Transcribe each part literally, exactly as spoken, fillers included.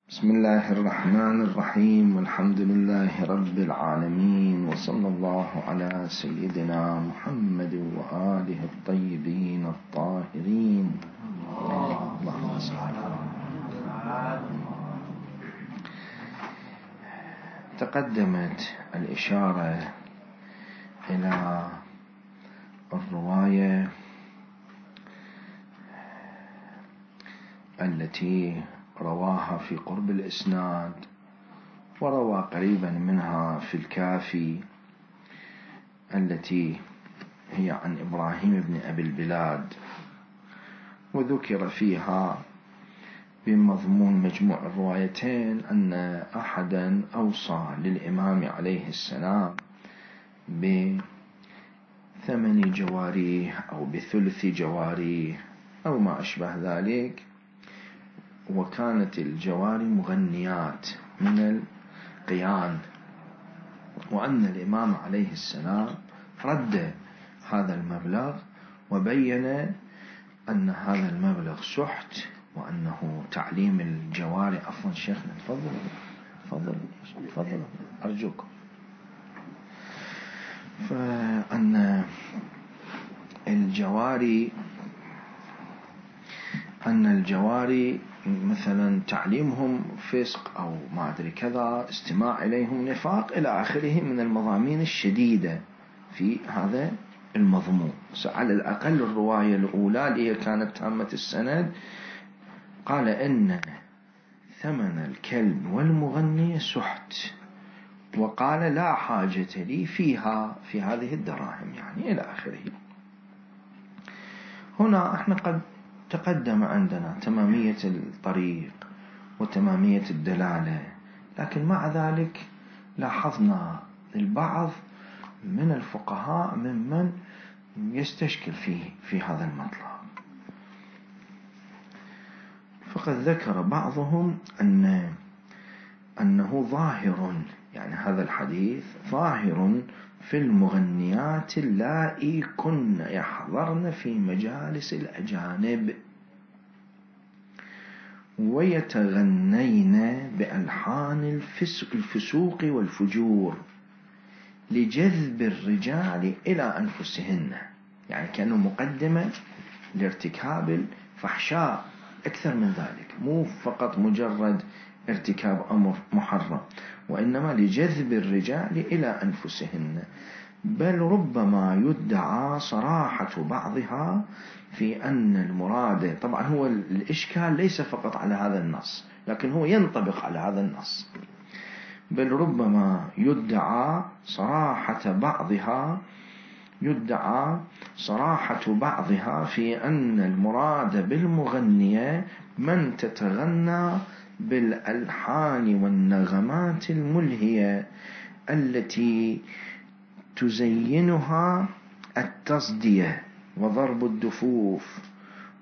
بسم الله الرحمن الرحيم، والحمد لله رب العالمين، وصلى الله على سيدنا محمد وآله الطيبين الطاهرين. اللهم صل على تقدمت الإشارة إلى الرواية التي رواها في قرب الإسناد، وروى قريبا منها في الكافي، التي هي عن إبراهيم بن أبي البلاد، وذكر فيها بمضمون مجموع الروايتين أن أحدا أوصى للإمام عليه السلام بثمن جواريه أو بثلث جواريه أو ما أشبه ذلك، وكانت الجواري مغنيات من القيان، وأن الإمام عليه السلام رد هذا المبلغ وبين أن هذا المبلغ سحت، وأنه تعليم الجواري. عفوا شيخنا، تفضل تفضل تفضل أرجوكم. فأن الجواري أن الجواري مثلا تعليمهم فسق أو ما أدري كذا، استماع إليهم نفاق إلى آخره من المضامين الشديدة في هذا المضمون. على الأقل الرواية الأولى اللي كانت تامة السند قال إن ثمن الكلب والمغني سحت، وقال لا حاجة لي فيها في هذه الدراهم، يعني إلى آخره. هنا احنا قد تقدم عندنا تمامية الطريق وتمامية الدلالة، لكن مع ذلك لاحظنا البعض من الفقهاء ممن يستشكل فيه في هذا المطلب، فقد ذكر بعضهم أن أنه ظاهر، يعني هذا الحديث ظاهر في المغنيات اللائي كن يحضرن في مجالس الأجانب ويتغنين بألحان الفسوق والفجور لجذب الرجال إلى أنفسهن، يعني كأنه مقدمة لارتكاب الفحشاء أكثر من ذلك، مو فقط مجرد ارتكاب أمر محرم، وإنما لجذب الرجال إلى أنفسهن. بل ربما يدعى صراحة بعضها في أن المراد، طبعا هو الإشكال ليس فقط على هذا النص، لكن هو ينطبق على هذا النص. بل ربما يدعى صراحة بعضها يدعى صراحة بعضها في أن المراد بالمغنية من تتغنى بالألحان والنغمات الملهية التي تزينها التصدية وضرب الدفوف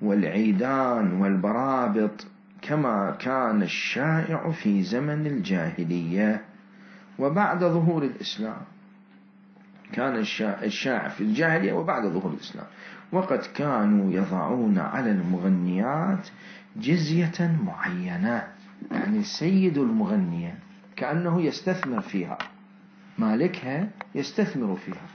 والعيدان والبرابط، كما كان الشائع في زمن الجاهلية وبعد ظهور الإسلام. كان الشائع في الجاهلية وبعد ظهور الإسلام، وقد كانوا يضعون على المغنيات جزية معينة، يعني سيد المغنية كأنه يستثمر فيها، مالكها يستثمر فيها،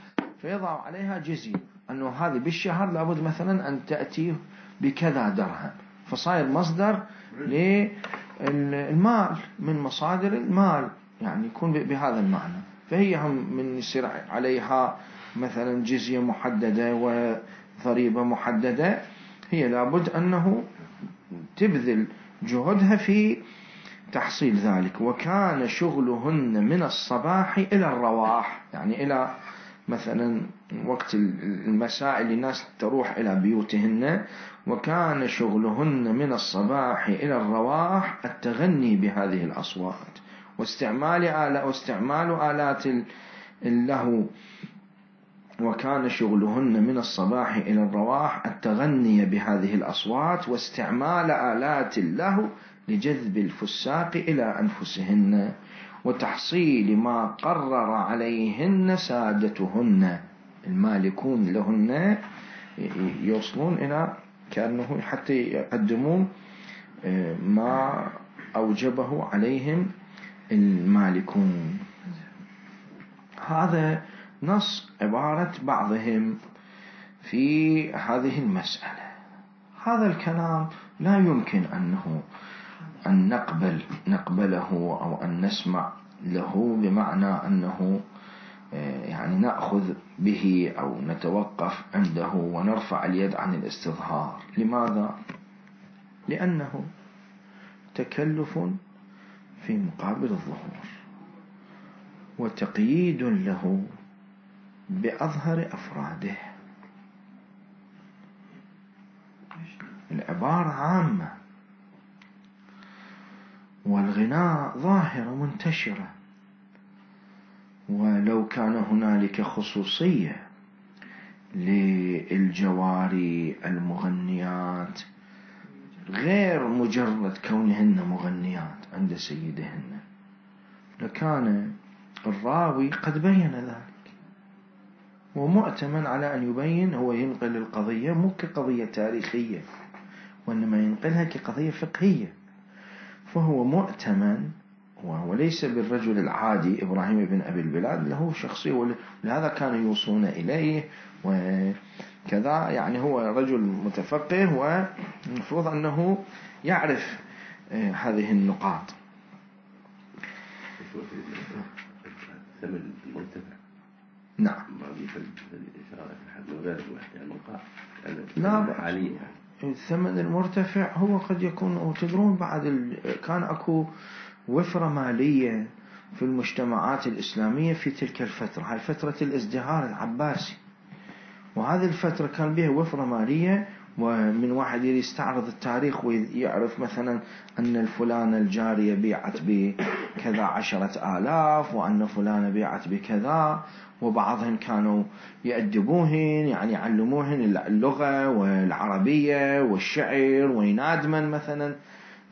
فيضع عليها جزية أنه هذه بالشهر لابد مثلا أن تأتي بكذا درهم، فصاير مصدر للمال من مصادر المال، يعني يكون بهذا المعنى. فهي هم من يصير عليها مثلا جزية محددة وضريبة محددة، هي لابد أنه تبذل جهدها في تحصيل ذلك. وكان شغلهن من الصباح إلى الرواح، يعني إلى مثلا وقت المساء اللي الناس تروح إلى بيوتهن، وكان شغلهن من الصباح إلى الرواح التغني بهذه الأصوات واستعمال آلات واستعمال آلات اللهو. وكان شغلهن من الصباح إلى الرواح التغني بهذه الأصوات واستعمال آلات اللهو لجذب الفساق إلى أنفسهن وتحصيل ما قرر عليهن سادتهن، المالكون لهن يوصلون إلى كأنه حتى يقدمون ما أوجبه عليهم المالكون. هذا نص عبارة بعضهم في هذه المسألة. هذا الكلام لا يمكن أنه أن نقبل نقبله أو أن نسمع له بمعنى أنه يعني نأخذ به أو نتوقف عنده ونرفع اليد عن الاستظهار. لماذا؟ لأنه تكلف في مقابل الظهور وتقييد له بأظهر أفراده. العبارة عامة والغناء ظاهرة منتشرة، ولو كان هنالك خصوصية للجواري المغنيات غير مجرد كونهن مغنيات عند سيدهن لكان الراوي قد بين ذلك، ومؤتمن على أن يبين. هو ينقل القضية مو كقضية تاريخية وإنما ينقلها كقضية فقهية، فهو مؤتمن، وهو ليس بالرجل العادي. إبراهيم بن أبي البلاد له شخصية، ولهذا كانوا يوصون إليه وكذا. يعني هو رجل متفقه ومفروض أنه يعرف هذه النقاط. ثمن المرتفع نعم. ما بيفرق الإشارة في حد غير الموقع لا حاليا. الثمن المرتفع هو قد يكون، وتدرون بعد ال... كان أكو وفرة مالية في المجتمعات الإسلامية في تلك الفترة، هاي فترة الازدهار العباسي، وهذه الفترة كان بها وفرة مالية. ومن واحد يستعرض التاريخ ويعرف مثلا أن الفلانة الجارية بيعت بكذا عشرة آلاف، وأن فلانة بيعت بكذا، وبعضهم كانوا يأدبوهن يعني يعلموهن اللغة والعربية والشعر وينادمن مثلا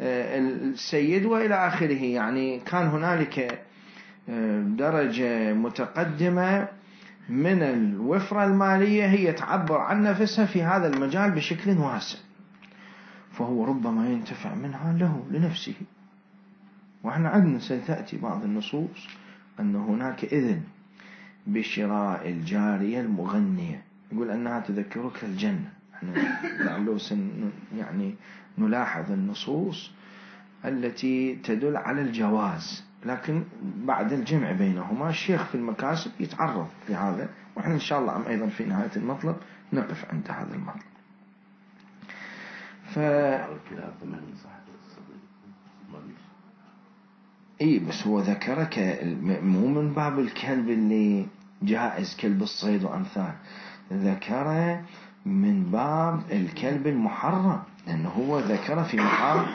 السيد وإلى آخره. يعني كان هنالك درجة متقدمة من الوفرة المالية هي تعبر عن نفسها في هذا المجال بشكل واسع، فهو ربما ينتفع منها له لنفسه. وإحنا عندنا ستأتي بعض النصوص أن هناك إذن بشراء الجارية المغنية، يقول أنها تذكرك الجنة. احنا لعله سن يعني نلاحظ النصوص التي تدل على الجواز، لكن بعد الجمع بينهما الشيخ في المكاسب يتعرض لهذا، وإحنا إن شاء الله أيضا في نهاية المطلب نقف عند هذا المطلب. ف اي بس هو ذكرك مو من باب الكلب اللي جائز كلب الصيد وأمثال، ذكره من باب الكلب المحرم، لأنه هو ذكر في مقام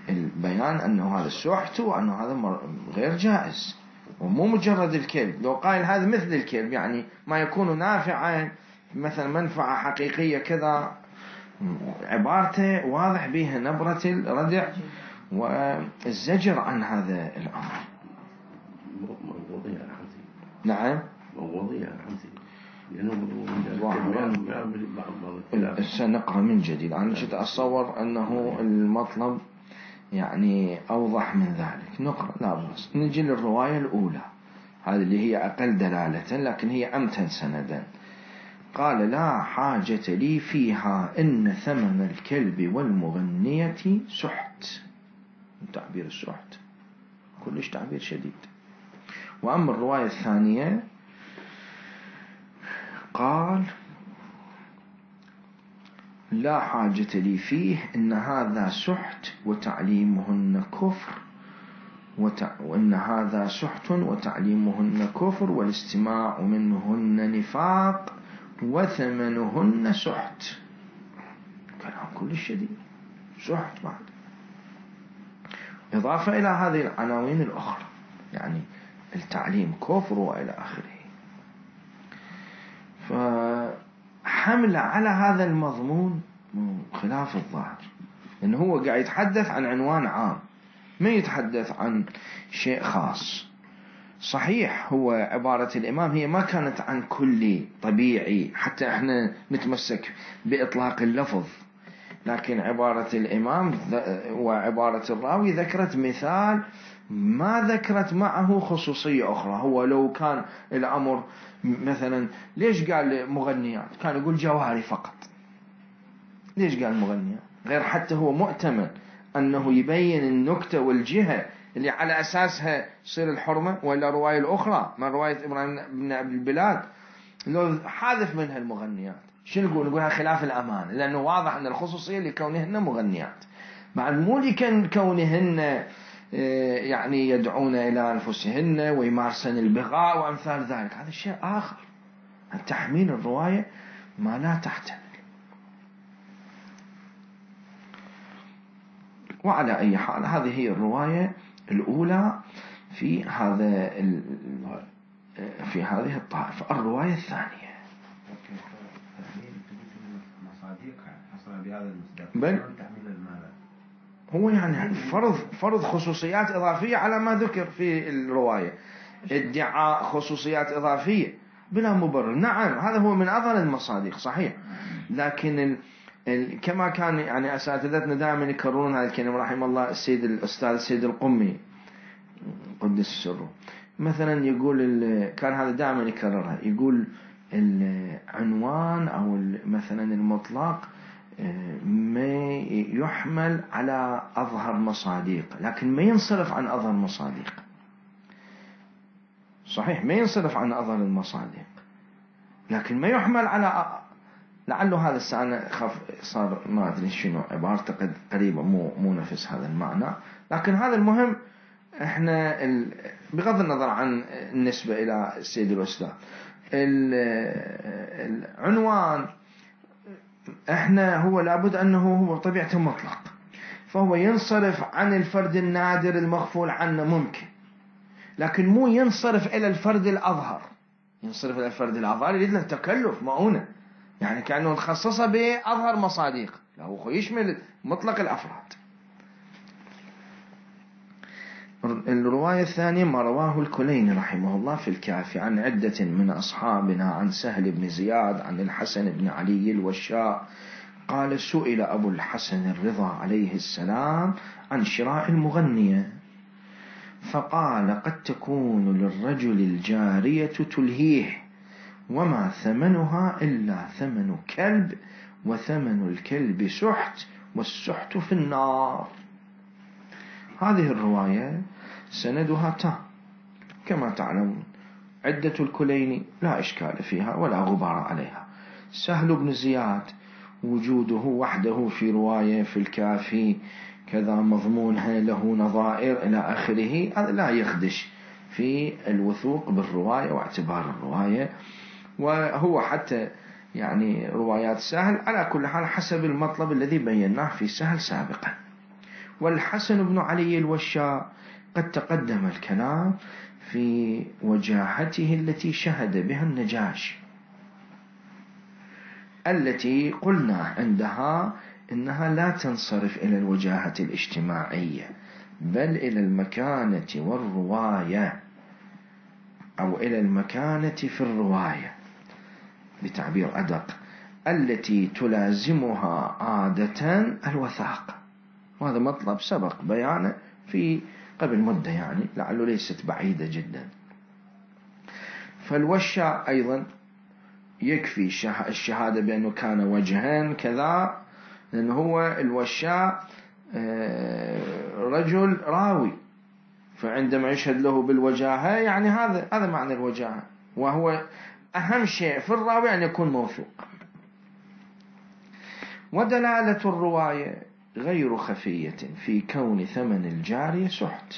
البيان أنه هذا سحت وأنه هذا غير جائز، ومو مجرد الكلب. لو قائل هذا مثل الكلب يعني ما يكون نافعا مثلا منفعة حقيقية كذا، عبارته واضح بها نبرة الردع والزجر عن هذا الأمر. نعم سنقرأ من جديد. أنا جد أتصور أنه المطلب يعني أوضح من ذلك. نقرأ لا بس نجي للرواية الأولى، هذه اللي هي أقل دلالة لكن هي أمتن سندا. قال لا حاجة لي فيها إن ثمن الكلب والمغنية سحت. تعبير السحت كلش تعبير شديد. وأما الرواية الثانية قال لا حاجة لي فيه إن هذا سحت وتعليمهن كفر وتع... وإن هذا سحت وتعليمهن كفر والاستماع منهن نفاق وثمنهن سحت. كلام كل شديد. سحت بعد إضافة إلى هذه العناوين الأخرى، يعني التعليم كفر وإلى آخره. فحمل على هذا المضمون خلاف الظاهر، لأنه هو قاعد يتحدث عن عنوان عام، ما يتحدث عن شيء خاص. صحيح هو عبارة الإمام هي ما كانت عن كل طبيعي حتى احنا نتمسك بإطلاق اللفظ، لكن عبارة الإمام وعبارة الراوي ذكرت مثال ما ذكرت معه خصوصية أخرى. هو لو كان الأمر مثلا ليش قال مغنيات؟ كان يقول جواري فقط. ليش قال مغنيات؟ غير حتى هو مؤتمن أنه يبين النكتة والجهة اللي على أساسها تصير الحرمة، ولا رواية الأخرى من رواية إبراهيم بن أبي البلاد لو حاذف منها المغنيات شنو نقول؟ نقولها خلاف الأمان، لأنه واضح أن الخصوصية لكونهن مغنيات، مع مو لكونهن يعني يدعون إلى أنفسهن ويمارسن البغاء وأمثال ذلك. هذا شيء آخر. التحميل الرواية ما لا تحتمل. وعلى أي حال هذه هي الرواية الأولى في هذا في هذه الطائفة. الرواية الثانية بل هو يعني فرض فرض خصوصيات إضافية على ما ذكر في الرواية، ادعاء خصوصيات إضافية بلا مبرر. نعم هذا هو من أظهر المصادق صحيح، لكن ال ال كما كان يعني أساتذتنا دائما يكررون هذا الكلام رحمه الله، السيد الأستاذ السيد القمي قدس سره مثلا يقول كان هذا دائما يكررها، يقول العنوان أو مثلا المطلق ما يحمل على أظهر مصادق لكن ما ينصرف عن أظهر مصادق. صحيح ما ينصرف عن أظهر المصادق لكن ما يحمل على، لعله هذا السنة خف صار ما أدري شنو عبارته قد قريبة مو مو نفس هذا المعنى، لكن هذا المهم. احنا بغض النظر عن النسبة إلى السيد الأستاذ العنوان احنا هو لابد أنه هو طبيعته مطلق، فهو ينصرف عن الفرد النادر المغفول عنه ممكن، لكن مو ينصرف إلى الفرد الأظهر. ينصرف إلى الفرد الأظهر يريد له تكلف مؤونة، يعني كأنه نخصصه بأظهر مصادق، لا هو يشمل مطلق الأفراد. الرواية الثانية ما رواه الكليني رحمه الله في الكافي عن عدة من أصحابنا عن سهل بن زياد عن الحسن بن علي الوشاء قال سئل أبو الحسن الرضا عليه السلام عن شراء المغنية فقال قد تكون للرجل الجارية تلهيه وما ثمنها إلا ثمن كلب وثمن الكلب سحت والسحت في النار. هذه الرواية سندها تام كما تعلمون، عدة الكليني لا إشكال فيها ولا غبار عليها. سهل بن زياد وجوده وحده في رواية في الكافي كذا مضمونها له نظائر إلى آخره، هذا لا يخدش في الوثوق بالرواية واعتبار الرواية. وهو حتى يعني روايات سهل على كل حال حسب المطلب الذي بيناه في سهل سابقا. والحسن بن علي الوشاء قد تقدم الكلام في وجاهته التي شهد بها النجاشي، التي قلنا عندها إنها لا تنصرف إلى الوجاهة الاجتماعية بل إلى المكانة والرواية، أو إلى المكانة في الرواية بتعبير أدق، التي تلازمها عادة الوثاقة. وهذا مطلب سبق بيانه في قبل مدة يعني لعله ليست بعيدة جدا. فالوشاء أيضا يكفي الشهادة بأنه كان وجهان كذا، لأنه هو الوشاء رجل راوي، فعندما يشهد له بالوجاهة يعني هذا هذا معنى الوجاهة، وهو أهم شيء في الراوي أن يكون موثوق. ودلالة الرواية غير خفية في كون ثمن الجارية سحت،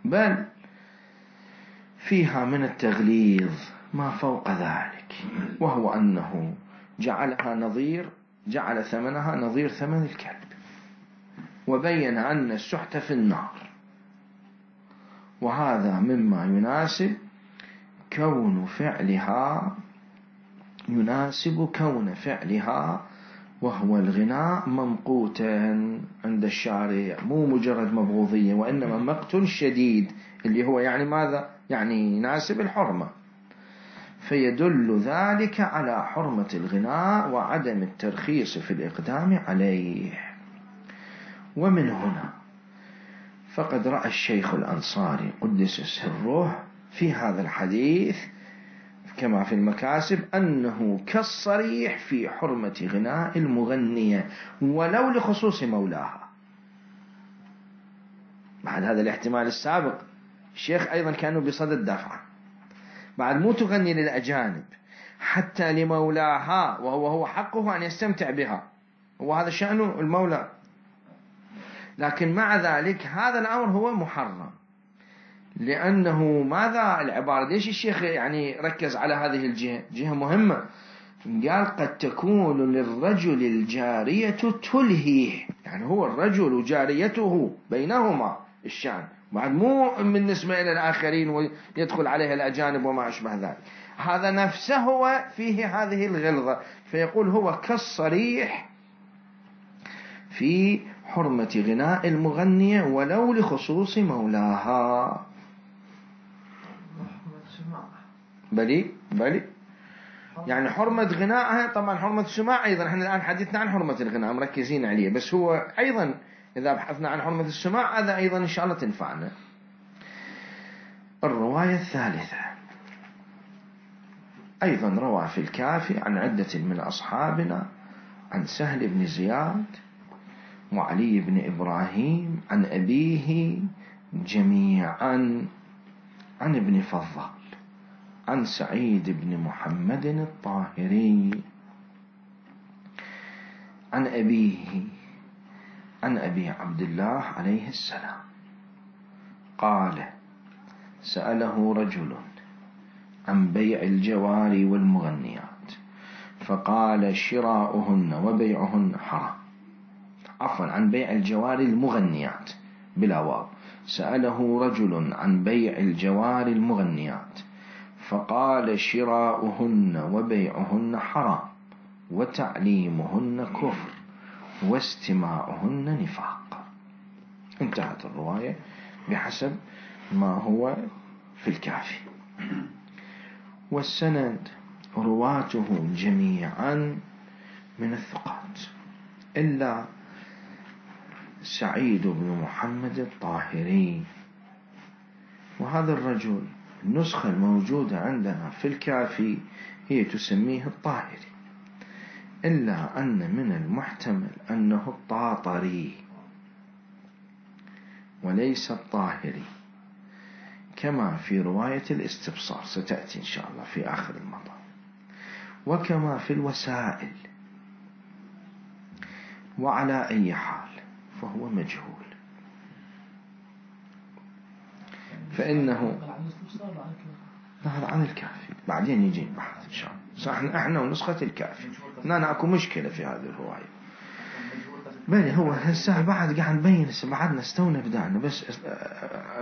بل فيها من التغليظ ما فوق ذلك، وهو أنه جعلها نظير جعل ثمنها نظير ثمن الكلب، وبين أن السحت في النار. وهذا مما يناسب كون فعلها يناسب كون فعلها وهو الغناء ممقوتا عند الشارع، مو مجرد مبغوضية وإنما مقت شديد، اللي هو يعني ماذا؟ يعني يناسب الحرمة. فيدل ذلك على حرمة الغناء وعدم الترخيص في الإقدام عليه. ومن هنا فقد رأى الشيخ الأنصاري قدس سره في هذا الحديث كما في المكاسب أنه كالصريح في حرمة غناء المغنية ولو لخصوص مولاها. بعد هذا الاحتمال السابق الشيخ أيضا كانوا بصدد دفعه، بعد مو تغني للأجانب حتى لمولاها، وهو هو حقه أن يستمتع بها، وهذا شأنه المولى، لكن مع ذلك هذا الأمر هو محرم. لأنه ماذا العبارة؟ ليش الشيخ يعني ركز على هذه الجهة؟ جهة مهمة. قال قد تكون للرجل الجارية تلهيه، يعني هو الرجل وجاريته بينهما الشأن، بعد مو بالنسبة إلى الآخرين ويدخل عليها الأجانب وما أشبه ذلك. هذا نفسه هو فيه هذه الغلظة، فيقول هو كالصريح في حرمة غناء المغنية ولو لخصوص مولاها. بلي بلي يعني حرمة غنائها، طبعا حرمة السماع أيضا، احنا الآن حديثنا عن حرمة الغناء مركزين عليه، بس هو أيضا إذا بحثنا عن حرمة السماع هذا أيضا إن شاء الله تنفعنا. الرواية الثالثة أيضا روى في الكافي عن عدة من أصحابنا عن سهل بن زياد وعلي بن إبراهيم عن أبيه جميعا عن ابن فضال عن سعيد بن محمد الطاهري عن أبيه عن أبي عبد الله عليه السلام قال سأله رجل عن بيع الجواري والمغنيات فقال شراؤهن وبيعهن حرام. عفوا، عن بيع الجواري المغنيات بلا واو. سأله رجل عن بيع الجواري المغنيات فقال شراؤهن وبيعهن حرام وتعليمهن كفر واستماعهن نفاق. انتهت الرواية بحسب ما هو في الكافي. والسند رواته جميعا من الثقات إلا سعيد بن محمد الطاهري، وهذا الرجل النسخة الموجودة عندنا في الكافي هي تسميه الطاهري، إلا أن من المحتمل أنه الطاطري وليس الطاهري كما في رواية الاستبصار ستأتي إن شاء الله في آخر المطاف، وكما في الوسائل. وعلى أي حال فهو مجهول، فإنه هذا عن الكافي بعدين يجي البحث إن شاء الله. احنا احنا ونسخة الكافي هنا اكو مشكلة في هذه الرواية. بل هو هسه بعد قاعد نبين، بعدنا استونا بدأنا، بس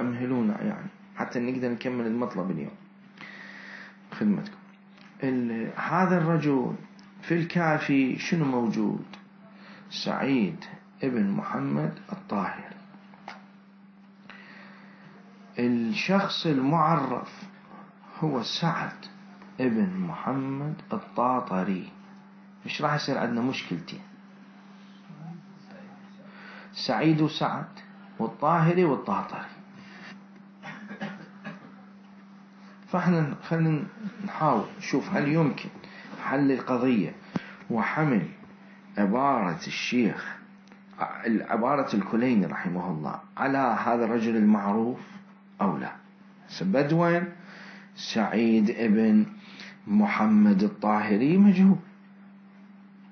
امهلونا يعني حتى نقدر نكمل المطلب اليوم خدمتكم. هذا الرجل في الكافي شنو موجود؟ سعيد ابن محمد الطاهر. الشخص المعرف هو سعد ابن محمد الطاطري. مش راح يصير عندنا مشكلتين، سعيد وسعد والطاهري والطاطري. فاحنا خلينا نحاول نشوف هل يمكن حل القضية وحمل عبارة الشيخ عبارة الكليني رحمه الله على هذا الرجل المعروف أو لا. بدوين سعيد ابن محمد الطاهري مجهول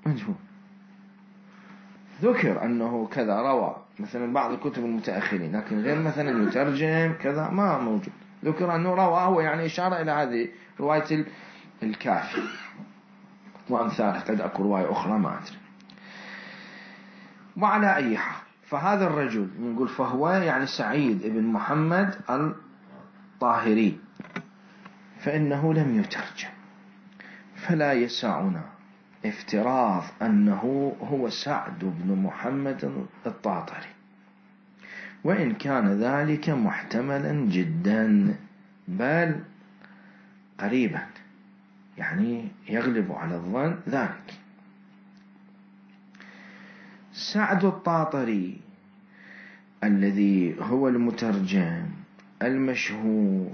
مجهول ذكر أنه كذا روى مثلا بعض الكتب المتأخرين، لكن غير مثلا يترجم كذا ما موجود. ذكر أنه روى، هو يعني إشارة إلى هذه رواية الكافي وأمثاله، قد أكو رواية أخرى ما أدري. وعلى أي حال فهذا الرجل نقول فهو يعني سعيد ابن محمد الطاهري، فإنه لم يترجم، فلا يسعنا افتراض أنه هو سعد بن محمد الطاطري، وإن كان ذلك محتملا جدا بل قريبا يعني يغلب على الظن ذلك. سعد الطاطري الذي هو المترجم المشهور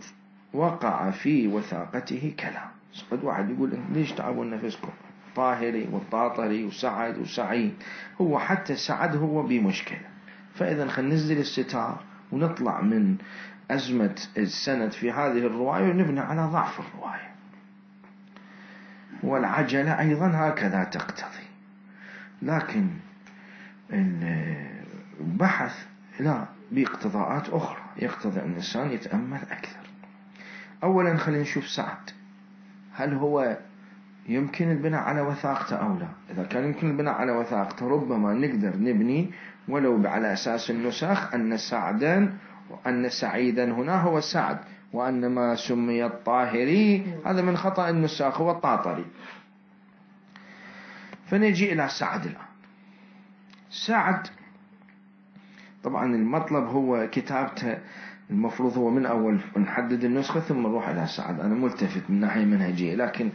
وقع في وثاقته كلام. قد واحد يقول ليش تعبون نفسكم؟ طاهري والطاطري وسعد وسعيد، هو حتى سعد هو بمشكلة. فإذا خلينا ننزل الستار ونطلع من أزمة السند في هذه الرواية ونبني على ضعف الرواية. والعجلة أيضا هكذا تقتضي. لكن البحث لا، باقتضاءات أخرى يقتضي أن الإنسان يتأمل أكثر. أولا خلينا نشوف سعد، هل هو يمكن البناء على وثاقته أو لا؟ إذا كان يمكن البناء على وثاقته ربما نقدر نبني ولو على أساس النسخ أن سعدا وأن سعيدا هنا هو سعد، وأن ما سمي الطاهري هذا من خطأ النساخ هو الطاطري. فنجي إلى سعد الآن. سعد طبعا المطلب هو كتابته المفروض هو من أول نحدد النسخة ثم نروح إلى سعد. أنا ملتفت من ناحية منهجية، لكن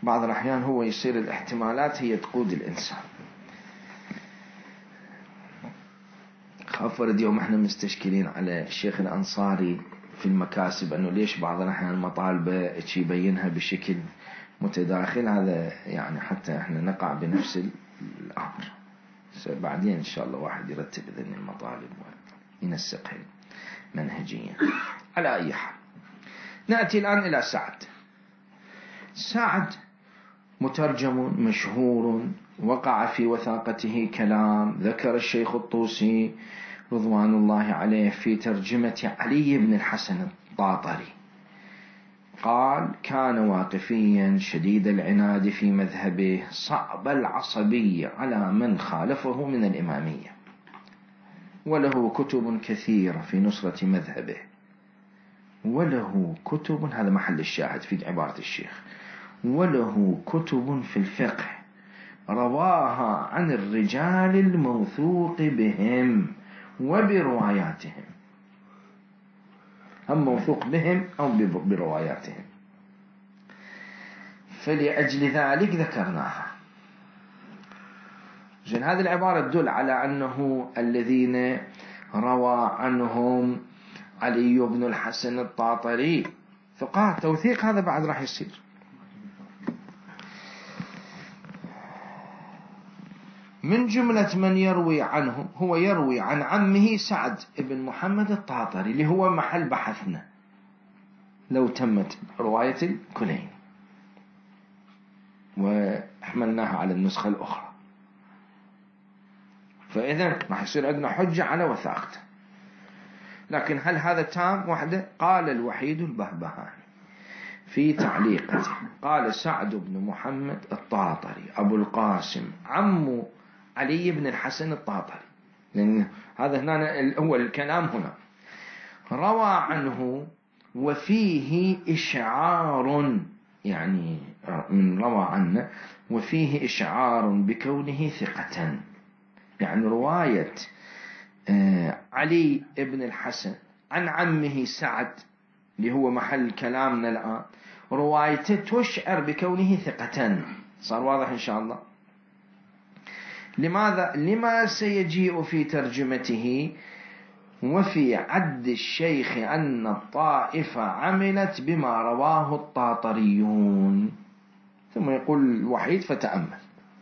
بعض الأحيان هو يصير الاحتمالات هي تقود الإنسان. خافرد يوم احنا مستشكلين على الشيخ الأنصاري في المكاسب أنه ليش بعض الأحيان مطالبة يبينها بشكل متداخل، هذا يعني حتى احنا نقع بنفس الأمر. بعدين إن شاء الله واحد يرتب ذني المطالب وينسقها منهجيا. على أي حال نأتي الآن إلى سعد. سعد مترجم مشهور وقع في وثاقته كلام. ذكر الشيخ الطوسي رضوان الله عليه في ترجمة علي بن الحسن الطاطري قال: كان واقفيا شديد العناد في مذهبه، صعب العصبية على من خالفه من الإمامية، وله كتب كثيرة في نصرة مذهبه. وله كتب، هذا محل الشاهد في عبارة الشيخ، وله كتب في الفقه رواها عن الرجال الموثوق بهم وبرواياتهم، هم موثوق بهم أو برواياتهم، فلأجل ذلك ذكرناها. زين، هذه العبارة تدل على أنه الذين روى عنهم علي بن الحسن الطاطري ثقات. توثيق هذا بعد راح يصير. من جملة من يروي عنهم هو يروي عن عمه سعد بن محمد الطاطري اللي هو محل بحثنا لو تمت رواية الكلين وحملناها على النسخة الأخرى، فإذا راح يصير عندنا حجة على وثاقته. لكن هل هذا تام وحده؟ قال الوحيد البهبهاني في تعليقته، قال سعد بن محمد الطاطري أبو القاسم عم علي بن الحسن الطاطري، لأن هذا هنا هو الكلام هنا، روى عنه وفيه إشعار، يعني من روى عنه وفيه إشعار بكونه ثقة. يعني رواية علي بن الحسن عن عمه سعد اللي هو محل كلامنا الآن، روايته تشعر بكونه ثقة. صار واضح إن شاء الله. لماذا؟ لما سيجيء في ترجمته: وفي عد الشيخ أن الطائفة عملت بما رواه الطاطريون، ثم يقول الوحيد فتأمل،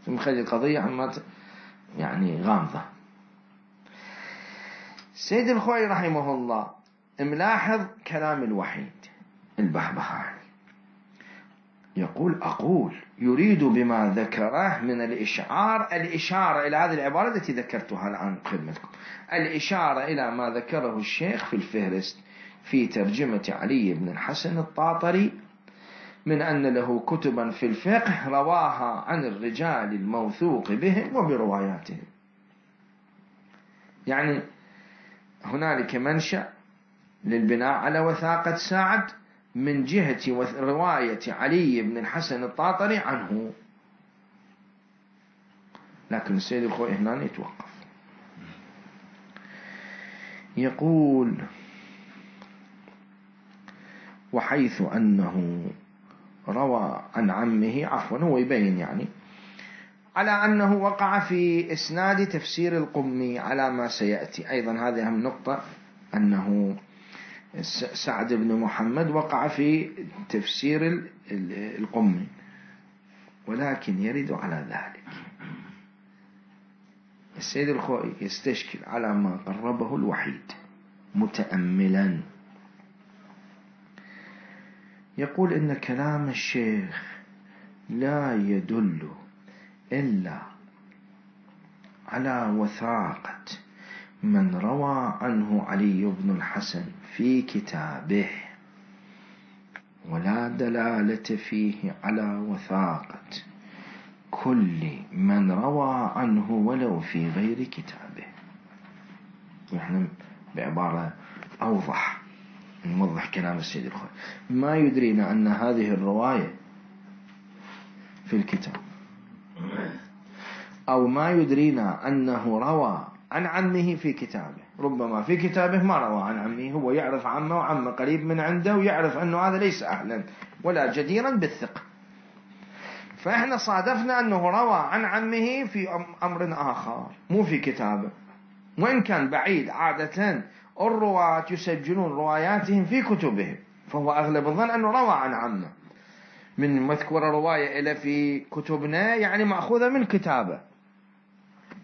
ثم خلي القضية عما يعني غامضة. سيد الخوئي رحمه الله ملاحظ كلام الوحيد البهبهاني، يقول: أقول يريد بما ذكره من الإشعار، الإشارة إلى هذه العبارة التي ذكرتها الآن خدمتكم، الإشارة إلى ما ذكره الشيخ في الفهرست في ترجمة علي بن الحسن الطاطري من أن له كتبا في الفقه رواها عن الرجال الموثوق بهم وبرواياتهم. يعني هنالك منشأ للبناء على وثاقة سعد من جهة رواية علي بن الحسن الطاطري عنه. لكن السيد الخوئي هنا يتوقف، يقول: وحيث أنه روى عن عمه، عفوا هو يبين يعني على أنه وقع في إسناد تفسير القمي على ما سيأتي. أيضا هذه أهم نقطة، أنه سعد بن محمد وقع في تفسير القمي، ولكن يرد على ذلك السيد الخوئي يستشكل على ما قربه الوحيد متأملا، يقول إن كلام الشيخ لا يدل إلا على وثاقة من روى عنه علي بن الحسن في كتابه، ولا دلالة فيه على وثاقة كل من روى عنه ولو في غير كتابه. نحن بعبارة أوضح نوضح كلام السيد الخوئي، ما يدرينا أن هذه الرواية في الكتاب، أو ما يدرينا أنه روى عن عمه في كتابه. ربما في كتابه ما روى عن عمه، هو يعرف عمه وعمه قريب من عنده، ويعرف أنه هذا ليس أهلا ولا جديرا بالثقة، فإحنا صادفنا أنه روى عن عمه في أمر آخر مو في كتابه، وإن كان بعيد. عادة الرواة يسجلون رواياتهم في كتبهم، فهو أغلب الظن أنه روى عن عمه. من مذكورة رواية إلى في كتبنا يعني مأخوذة من كتابه،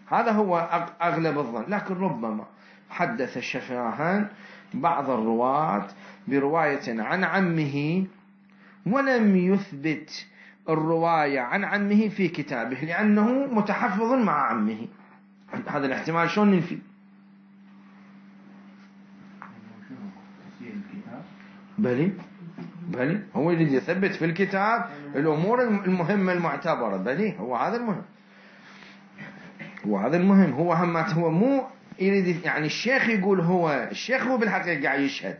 هذا هو أغلب الظن. لكن ربما حدث الشفاهان بعض الرواة برواية عن عمه ولم يثبت الرواية عن عمه في كتابه، لأنه متحفظ مع عمه. هذا الاحتمال شلون ننفي؟ بلي بلي هو يريد يثبت في الكتاب الأمور المهمة المعتبرة، بلي هو هذا المهم، هو هذا المهم. هو همات هو مو يريد يعني الشيخ يقول، هو الشيخ هو بالحقيقة قاعد يشهد،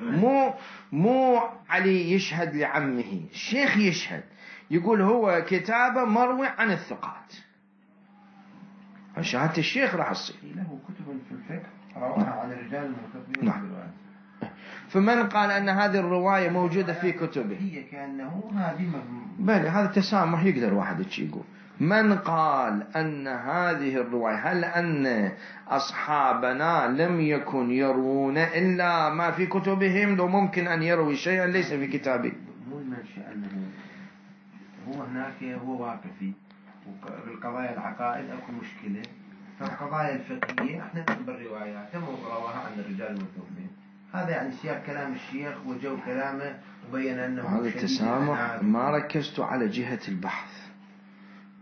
مو مو علي يشهد لعمه، الشيخ يشهد يقول هو كتابه مروي عن الثقات، شهادة الشيخ راح تصير له كتب في الفقه رواها عن الرجال المكتوبين. نعم. فمن قال أن هذه الرواية موجودة في كتبه هي كأنه هذه بل هذا التسامح يقدر واحد يقول. من قال أن هذه الرواية، هل أن أصحابنا لم يكن يروون إلا ما في كتبهم؟ لو ممكن أن يروي شيئا ليس في كتابه. مو المنشأ أنه هو هناك هو واقفي، وبالقضايا العقائد أكو مشكلة، فالقضايا الفقهية احنا نقبل الروايات رواها عن الرجال المكتوبين. هذا يعني سياق كلام الشيخ وجو كلامه وبين أنه هذا التسامح. ما ركزت على جهة البحث،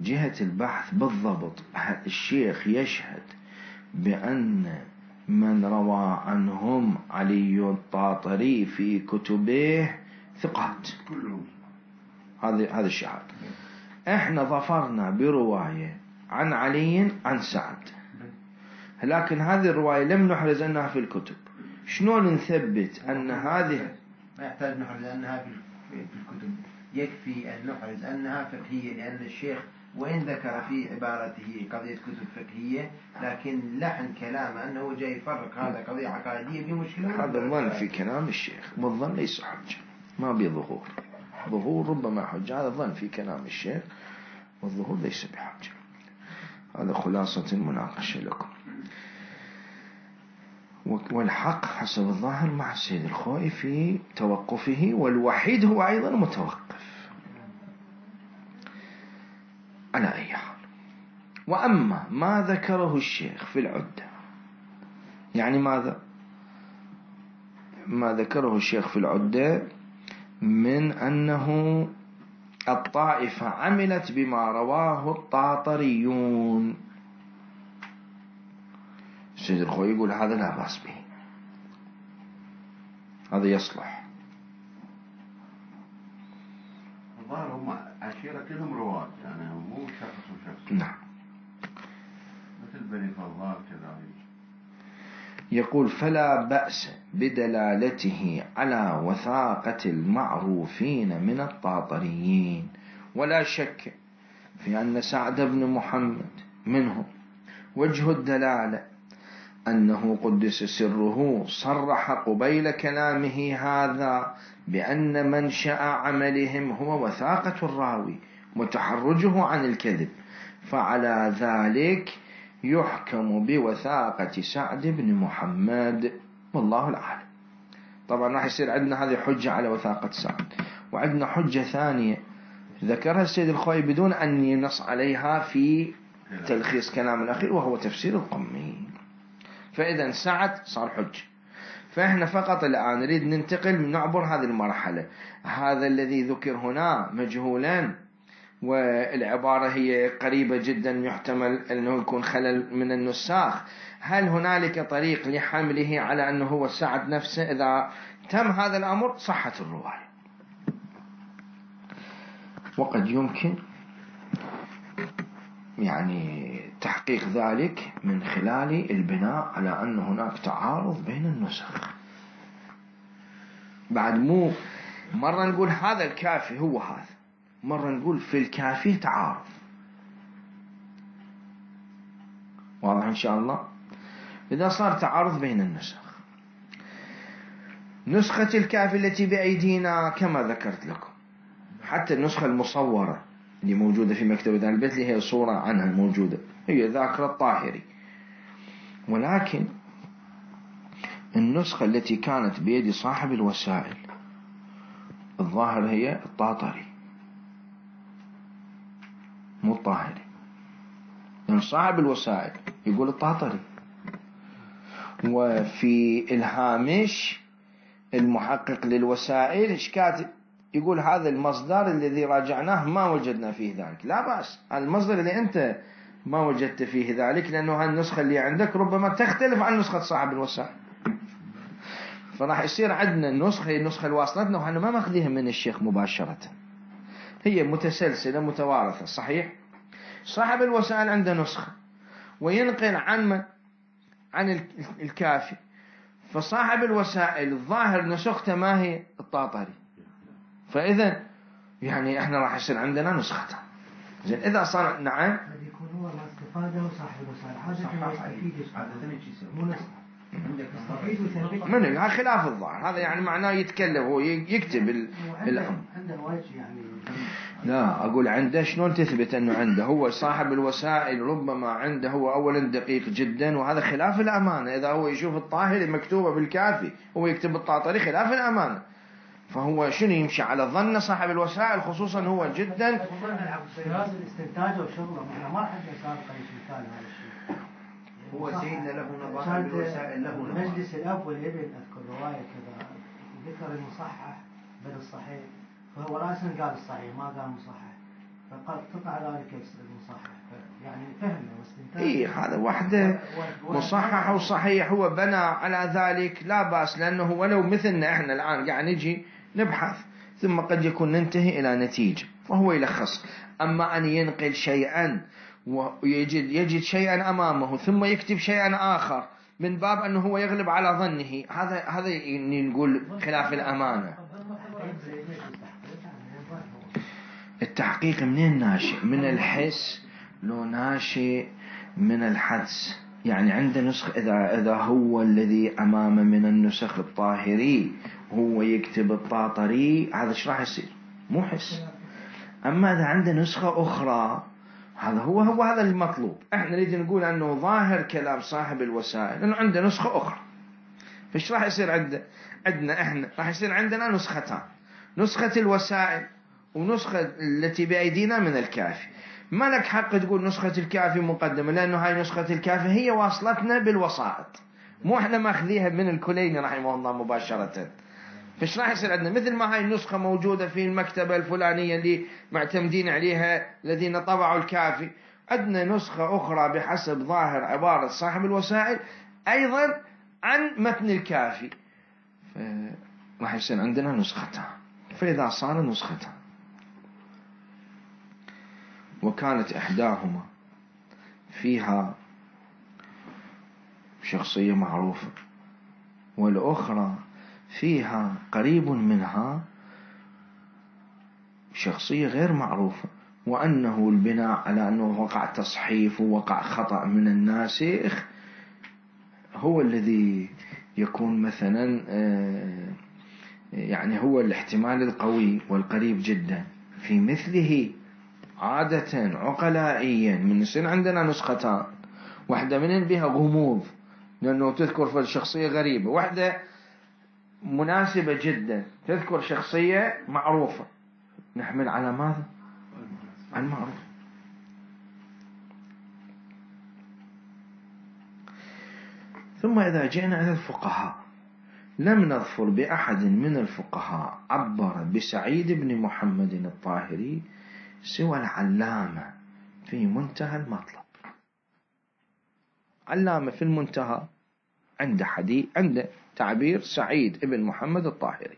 جهة البحث بالضبط الشيخ يشهد بأن من روى عنهم علي الطاطري في كتبه ثقات كلهم، هذا هذا الشهادة. احنا ظفرنا برواية عن علي عن سعد، لكن هذه الرواية لم نحرز أنها في الكتب. شلون نثبت أن هذه؟ ما يحتاج نحرز أنها في الكتب، يكفي أن نحرز أنها فقهية، لأن الشيخ وإن ذكر في عبارته قضية كتب فقهية، لكن لحن كلامه أنه جاي يفرق هذا قضية عقائدية بمشكلة. هذا الظن في كلام الشيخ، والظن ليس حجة، ما بظهور. ظهور ربما حجة، هذا الظن في كلام الشيخ، والظهور ليس بحجة. هذا خلاصة المناقشة لكم. والحق حسب الظاهر مع السيد الخوئي في توقفه، والوحيد هو أيضا متوقف على أي حال. وأما ما ذكره الشيخ في العدة، يعني ماذا؟ ما ذكره الشيخ في العدة من أنه الطائفة عملت بما رواه الطاطريون، السيد الخوئي يقول هذا لا بأس به، هذا يصلح. الظاهر هم عشيرة كلهم رواة، يعني مو شخص وشخص. نعم. مثل بني فضال كذلك. يقول فلا بأس بدلالته على وثاقة المعروفين من الطاطريين، ولا شك في أن سعد بن محمد منهم. وجه الدلالة أنه قدس سره صرح قبيل كلامه هذا بأن منشأ عملهم هو وثاقة الراوي وتحرجه عن الكذب، فعلى ذلك يحكم بوثاقة سعد بن محمد والله الأعلم. طبعا راح يصير عندنا هذه حجة على وثاقة سعد، وعندنا حجة ثانية ذكرها السيد الخوي بدون أن ينص عليها في تلخيص كلام الأخير، وهو تفسير القمي. فإذا سعد صار حجة. فإحنا فقط الآن نريد ننتقل نعبر هذه المرحلة. هذا الذي ذكر هنا مجهولا والعبارة هي قريبة جدا، يحتمل أنه يكون خلل من النساخ. هل هنالك طريق لحمله على أنه هو سعد نفسه؟ إذا تم هذا الأمر صحت الرواية. وقد يمكن يعني تحقيق ذلك من خلال البناء على أن هناك تعارض بين النسخ. بعد مو مرة نقول هذا الكافي هو هذا، مرة نقول في الكافي تعارض. واضح إن شاء الله؟ إذا صار تعارض بين النسخ، نسخة الكافي التي بأيدينا كما ذكرت لكم، حتى النسخة المصورة اللي موجودة في مكتبة أهل البيت اللي هي صورة عنها موجودة، هي ذاكرة الطاهري. ولكن النسخة التي كانت بيد صاحب الوسائل الظاهر هي الطاطري مو الطاهري، يعني صاحب الوسائل يقول الطاطري، وفي الهامش المحقق للوسائل ايش كاتب؟ يقول هذا المصدر الذي راجعناه ما وجدنا فيه ذلك. لا بأس، المصدر اللي أنت ما وجدت فيه ذلك لأنه هالنسخة اللي عندك ربما تختلف عن نسخة صاحب الوسائل، فراح يصير عندنا النسخة هي النسخة الواصلتنا، وحنا ما ماخذيها من الشيخ مباشرة، هي متسلسلة متوارثة. صحيح صاحب الوسائل عنده نسخة وينقل عن من؟ عن الكافي، فصاحب الوسائل الظاهر نسخته ما هي الطاطري، فإذا يعني احنا راح يصير عندنا نسختان. زين إذا صار نعم يكون هو ما استفاده صاحب الوسائل حاجة يستفيد من هذا خلاف الظاهر، هذا يعني معناه يتكلم هو يكتب الأمر. عنده وجه يعني لا أقول عنده، شلون تثبت أنه عنده؟ هو صاحب الوسائل ربما عنده هو أولا دقيق جدا، وهذا خلاف الأمانة. إذا هو يشوف الطاهري مكتوبة بالكافي هو يكتب الطاطري خلاف الأمانة، فهو شنو يمشي على ظن صاحب الوسائل، خصوصا هو جدا الاستنتاج وشغله. احنا ما حد سابقا مثال هذا الشيء. هو سيدنا له نظام الوسائل له نظام. مجلس الأب والابن أذكر رواية كذا ذكر المصحح بل الصحيح، فهو رأسا قال الصحيح ما قال مصحح، فقال قطع ذلك المصحح، يعني فهم واستنتاج. إيه هذا وحده مصحح وصحيح هو بنى على ذلك، لا بأس، لأنه ولو مثلنا إحنا الآن قاعد نجي نبحث ثم قد يكون ننتهي إلى نتيجة فهو يلخص. أما أن ينقل شيئا ويجد يجد شيئا أمامه ثم يكتب شيئا آخر من باب أنه هو يغلب على ظنه، هذا هذا نقول خلاف الأمانة. التحقيق منين ناشئ؟ من الحس لو ناشئ من الحدس؟ يعني عنده نسخ، إذا إذا هو الذي أمامه من النسخ الطاهري هو يكتب الطاطري، هذا ايش راح يصير؟ مو حس. أما إذا عنده نسخة أخرى هذا هو هو هذا المطلوب. احنا نريد نقول أنه ظاهر كلام صاحب الوسائل أنه عنده نسخة أخرى، فايش راح يصير عنده؟ عندنا احنا راح يصير عندنا نسختان، نسخة الوسائل ونسخة التي بأيدينا من الكافي. ما لك حق تقول نسخة الكافي مقدمة، لأنه هاي نسخة الكافي هي واصلتنا بالوسائط، مو احنا ماخذيها من الكليني رحمه الله مباشرة. فايش راح يصير عندنا؟ مثل ما هاي النسخة موجودة في المكتبة الفلانية اللي معتمدين عليها الذين طبعوا الكافي، عندنا نسخة أخرى بحسب ظاهر عبارة صاحب الوسائل أيضا عن متن الكافي، راح يصير عندنا نسختان. فإذا صار نسختان وكانت إحداهما فيها شخصية معروفة والأخرى فيها قريب منها شخصية غير معروفة، وأنه البناء على أنه وقع تصحيف ووقع خطأ من الناسخ، هو الذي يكون مثلا يعني هو الاحتمال القوي والقريب جدا. في مثله عادة عقلائيا من يصير عندنا نسختان، واحدة من بها غموض لأنه تذكر في الشخصية غريبة، واحدة مناسبة جدا تذكر شخصية معروفة، نحمل على ماذا؟ على المعروف. ثم إذا جئنا إلى الفقهاء، لم نظفر بأحد من الفقهاء عبر بسعيد بن محمد الطاهري سوى العلامة في منتهى المطلب. علامة في المنتهى عند حديث عند تعبير سعيد بن محمد الطاهري،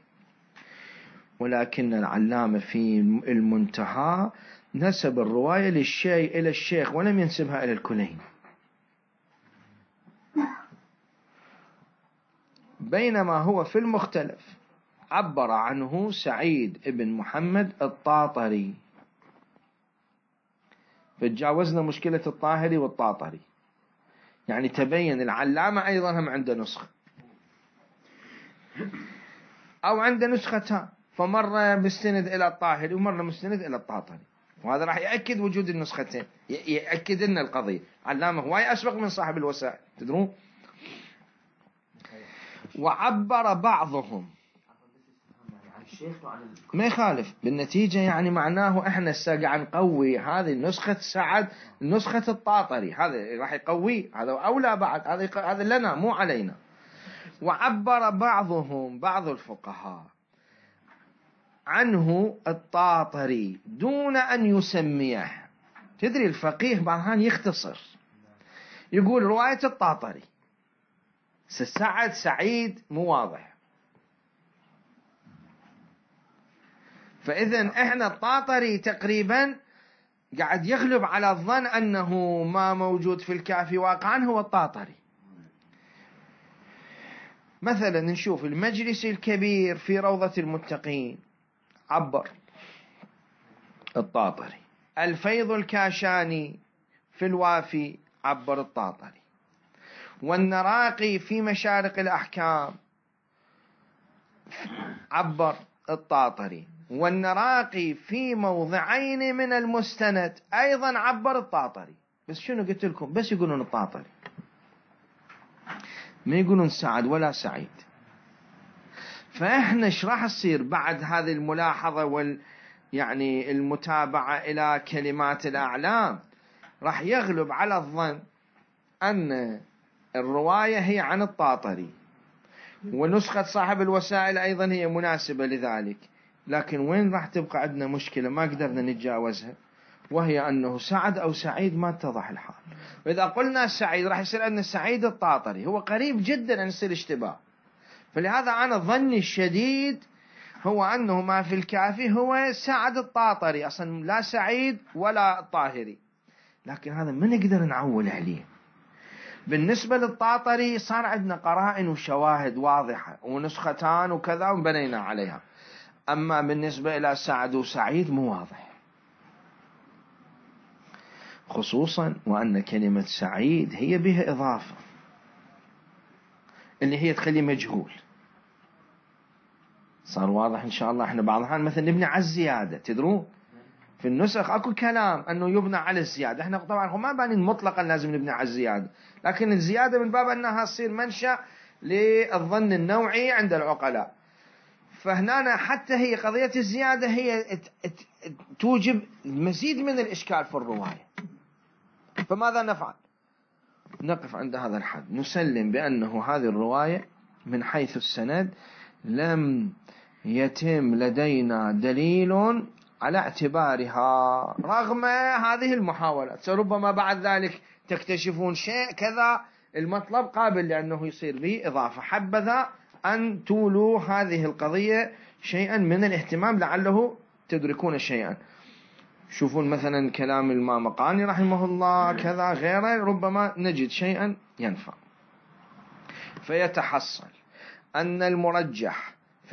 ولكن العلامة في المنتهى نسب الرواية للشيء إلى الشيخ ولم ينسبها إلى الكلين، بينما هو في المختلف عبر عنه سعيد بن محمد الطاطري. فتجاوزنا مشكلة الطاهري والطاطري، يعني تبين العلامة أيضا هم عنده نسخة أو عنده نسختان، فمرة مستند إلى الطاهري ومرة مستند إلى الطاطري، وهذا راح يأكد وجود النسختين، يأكد لنا القضية. علامة هواي أسبق من صاحب الوسائل، تدرون. وعبر بعضهم، ما يخالف بالنتيجة، يعني معناه احنا قاعد نقوي هذه النسخة سعد، نسخة الطاطري، هذا راح يقوي، هذا أولى بعد، هذا هذا لنا مو علينا. وعبر بعضهم، بعض الفقهاء، عنه الطاطري دون أن يسميه. تدري الفقيه بعضهم يختصر، يقول رواية الطاطري، سعد سعيد مو واضح، فإذن احنا الطاطري تقريبا قاعد يغلب على الظن أنه ما موجود في الكافي واقعا هو الطاطري. مثلا نشوف المجلس الكبير في روضة المتقين عبر الطاطري، الفيض الكاشاني في الوافي عبر الطاطري، والنراقي في مشارق الأحكام عبر الطاطري، والنراقي في موضعين من المستند أيضا عبر الطاطري. بس شنو قلت لكم؟ بس يقولون الطاطري، ما يقولون سعد ولا سعيد. فإحنا ايش راح يصير بعد هذه الملاحظة وال يعني المتابعة إلى كلمات الأعلام؟ راح يغلب على الظن أن الرواية هي عن الطاطري، ونسخة صاحب الوسائل أيضا هي مناسبة لذلك. لكن وين راح تبقى عندنا مشكلة ما قدرنا نتجاوزها، وهي أنه سعد أو سعيد ما اتضح الحال. وإذا قلنا سعيد راح يصير أن سعيد الطاطري هو قريب جدا أن يصير اشتباه. فلهذا أنا ظني الشديد هو أنه ما في الكافي هو سعد الطاطري، أصلا لا سعيد ولا الطاهري، لكن هذا ما نقدر نعول عليه. بالنسبة للطاطري صار عندنا قرائن وشواهد واضحة ونسختان وكذا وبنينا عليها، أما بالنسبة إلى سعد وسعيد مو واضح، خصوصا وأن كلمة سعيد هي بها إضافة اللي هي تخلي مجهول. صار واضح إن شاء الله. إحنا بعض الأحيان مثلا نبني على الزيادة، تدرون في النسخ أكو كلام أنه يبنى على الزيادة، إحنا طبعا هم ما بانين مطلقا لازم نبني على الزيادة، لكن الزيادة من باب أنها تصير منشأ للظن النوعي عند العقلاء. فهنا حتى هي قضية الزيادة هي توجب مزيد من الإشكال في الرواية. فماذا نفعل؟ نقف عند هذا الحد، نسلم بأنه هذه الرواية من حيث السند لم يتم لدينا دليل على اعتبارها رغم هذه المحاولات. فربما بعد ذلك تكتشفون شيء كذا المطلب قابل لأنه يصير به إضافة، حبذا أن تولوا هذه القضية شيئا من الاهتمام لعله تدركون شيئا. شوفون مثلا كلام المامقاني رحمه الله كذا غيره، ربما نجد شيئا ينفع. فيتحصل أن المرجح في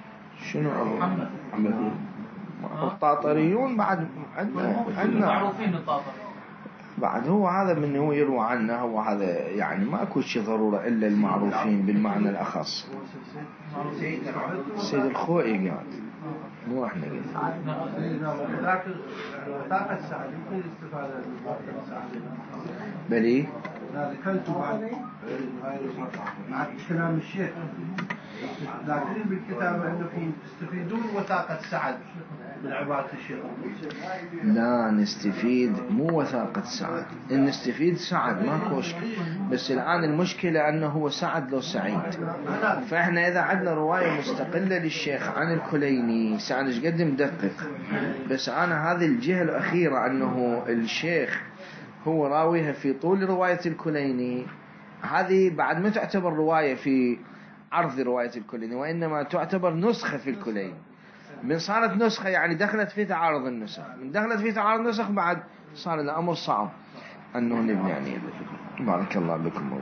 شنو محمد الطاطريون بعد عندنا عندنا معروفين الطاطر بعد. هو هذا من هو يروى عنه، هو هذا يعني ما اكو شيء ضرورة الا المعروفين بالمعنى الاخص. سيد الخوئي قال مو احنا قلنا. لكن وثاقة السعد يمكن الاستفادة من وثاقة السعد. بلي لا ذكرت بعد مع كلام الشيخ، لكن بالكتاب انكم تستفيدون وثاقة سعد من عبارة الشيخ. لا نستفيد مو وثاقة سعد، إن نستفيد سعد ما مشكلة، بس الآن المشكلة أنه هو سعد لو سعيد. فإحنا إذا عندنا رواية مستقلة للشيخ عن الكليني سعد إيش قد مدقق، بس أنا هذه الجهة الأخيرة أنه الشيخ هو راويها في طول رواية الكليني، هذه بعد ما تعتبر رواية في عرض رواية الكليني، وإنما تعتبر نسخة في الكليني. من صارت نسخة يعني دخلت في تعارض النسخ، من دخلت في تعارض النسخ بعد صار الأمر صعب أنه نبني عليه. بارك الله بكم.